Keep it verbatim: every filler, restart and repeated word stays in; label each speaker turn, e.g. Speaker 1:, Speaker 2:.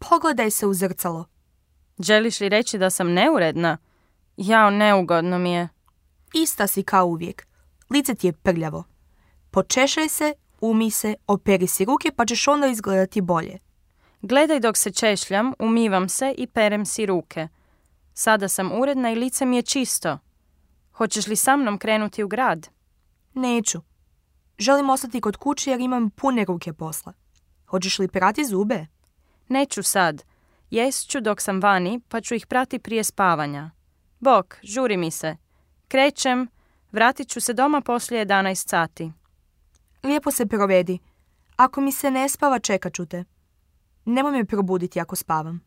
Speaker 1: Pogledaj se u zrcalo.
Speaker 2: Želiš li reći da sam neuredna? Jao, neugodno mi je.
Speaker 1: Ista si kao uvijek. Lice ti je prljavo. Počešaj se, umij se, operi si ruke pa ćeš onda izgledati bolje.
Speaker 2: Gledaj dok se češljam, umivam se i perem si ruke. Sada sam uredna i lice mi je čisto. Hoćeš li sa mnom krenuti u grad?
Speaker 1: Neću. Želim ostati kod kuće jer imam pune ruke posla. Hoćeš li prati zube?
Speaker 2: Neću sad. Jest ću dok sam vani, pa ću ih prati prije spavanja. Bok, žuri mi se. Krećem, vratit ću se doma poslije jedanaest sati.
Speaker 1: Lijepo se provedi. Ako mi se ne spava, čekat ću te. Nemoj me probuditi ako spavam.